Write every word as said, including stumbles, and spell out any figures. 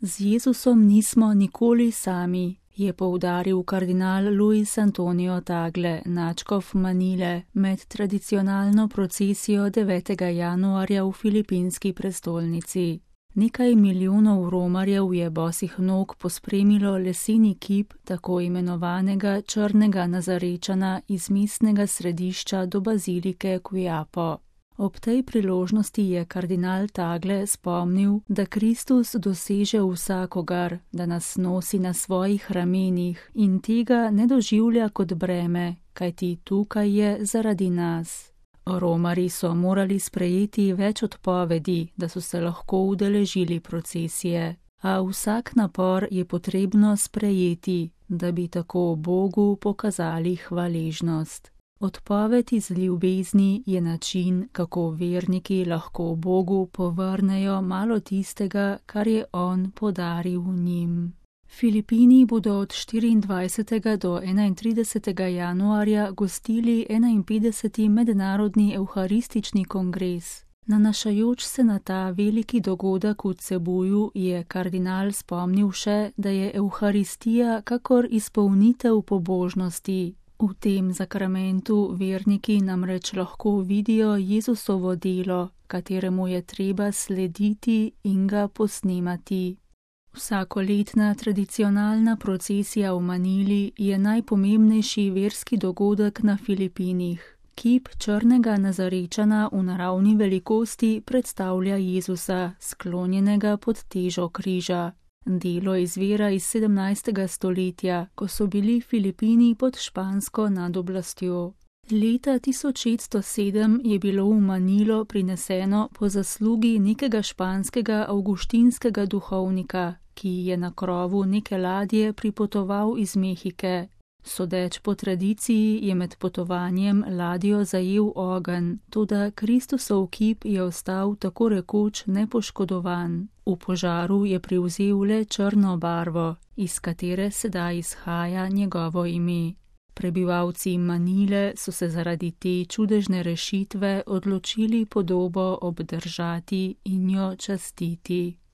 Z Jezusom nismo nikoli sami, je poudaril kardinal Luis Antonio Tagle, nadškof Manile, med tradicionalno procesijo devetega januarja v filipinski prestolnici. Nekaj milijonov romarjev je bosih nog pospremilo leseni kip tako imenovanega črnega Nazarečana iz mestnega središča do bazilike Quiapo. Ob tej priložnosti je kardinal Tagle spomnil, da Kristus doseže vsakogar, da nas nosi na svojih ramenih in tega ne doživlja kot breme, kajti tukaj je zaradi nas. Romarji so morali sprejeti več odpovedi, da so se lahko udeležili procesije, a vsak napor je potrebno sprejeti, da bi tako Bogu pokazali hvaležnost. Odpoved iz ljubezni je način, kako verniki lahko Bogu povrnejo malo tistega, kar je On podaril njim. Filipini bodo od štiriindvajsetega do enaintridesetega januarja gostili enainpetdeseti mednarodni evharistični kongres. Nanašajoč se na ta veliki dogodek v Cebuju je kardinal spomnil še, da je evharistija kakor izpolnitev pobožnosti. V tem zakramentu verniki namreč lahko vidijo Jezusovo delo, kateremu je treba slediti in ga posnemati. Vsakoletna tradicionalna procesija v Manili je najpomembnejši verski dogodek na Filipinih. Kip črnega Nazarečana v naravni velikosti predstavlja Jezusa, sklonjenega pod težo križa. Delo izvira iz sedemnajstega stoletja, ko so bili Filipini pod špansko nadoblastjo. Leta tisoč šeststo sedem je bilo v Manilo prineseno po zaslugi nekega španskega avguštinskega duhovnika, ki je na krovu neke ladje pripotoval iz Mehike. Sodeč po tradiciji je med potovanjem ladjo zajel ogenj, toda Kristusov kip je ostal tako rekoč nepoškodovan. V požaru je privzel le črno barvo, iz katere sedaj izhaja njegovo ime. Prebivalci Manile so se zaradi te čudežne rešitve odločili podobo obdržati in jo častiti.